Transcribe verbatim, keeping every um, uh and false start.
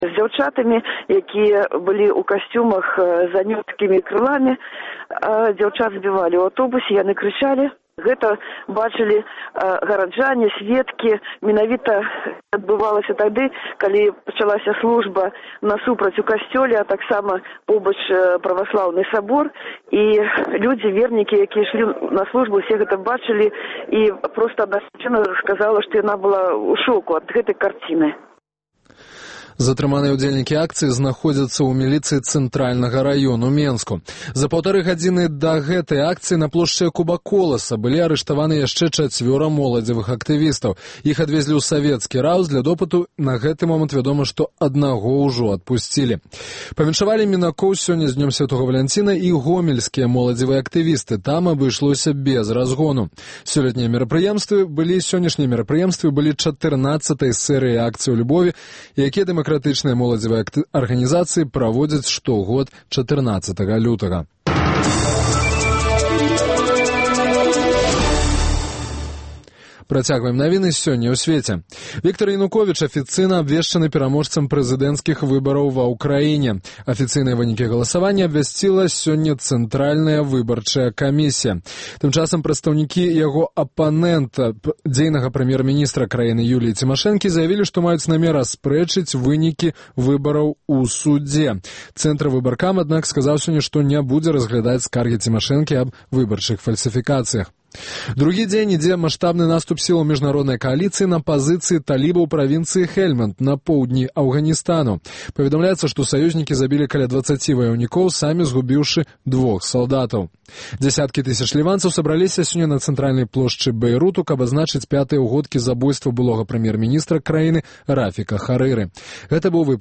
з дзяўчатамі, якія былі ў касцюмах з анёлскімі крыламі. Дзяўчат збівалі ў аўтобусе, яны крычалі. Гэта бачылі гараджане, сведкі. Менавіта адбывалася тады, калі пачалася служба насупраць у касцёле, а таксама побач праваслаўны сабор. І людзі, вернікі, якія ішлі на службу, усе гэта бачылі. І проста адна жанчына сказала, што яна была ў шоку ад гэтай карціны. Затрыманыя ўдзельнікі акцыі знаходзяцца ў міліцыі цэнтральнага раёну Менску. За паўтары гадзіны да гэтай акцыі на плошчы Якуба Коласа былі арыштаваны яшчэ чацвёра моладзевых актывістаў. Іх адвезлі ў савецкі раус для допыту. На гэты момант вядома, што аднаго ўжо адпусцілі. Павіншавалі мінакоў сёння з днём Святога Валянціна і гомельскія моладзевыя актывісты. Там абышлося без разгону. Сёлетнія мерапрыемствы былі сённяшнія мерапрыемствы былі чатырнаццатай серыі акцыяў любові, якія дэмакратычныя Дэмакратычныя моладзевыя арганізацыі праводзяць штогод чатырнаццатага лютага. Працягваем навіны сёння ў свеце. Віктор Януковіч афіцыйна абвешчаны пераможцам прэзідэнцкіх выбараў ва ўкраіне. Афіцыйныя вынікі галасавання абвясціла сёння Цэнтральная выбарчая камісія. Тым часам прадстаўнікі яго апанента, дзейнага прэм'ер-міністра краіны Юліі Цімашэнкі, заявілі, што маюць намер аспрэчыць вынікі выбараў у судзе. Цэнтр выбаркам, аднак, сказаў сёння, што не будзе разглядаць скаргі Цімашэнкі аб выбарчых фальсіфікацыях. Другі дзень ідзе маштабны наступ сілаў міжнароднай кааліцыі на пазіцыі талібаў правінцыі Хельманд на поўдні Афганістану. Паведамляецца, што саюзнікі забілі каля дваццаці ваяўнікоў, самі згубіўшы двух салдатаў. Дзясяткі тысяч ліванцаў сабраліся сёння на цэнтральнай плошчы Бейруту, каб адзначыць пятыя ўгодкі забойства былога прэм'ер-міністра краіны Рафіка Харыры. Гэта быў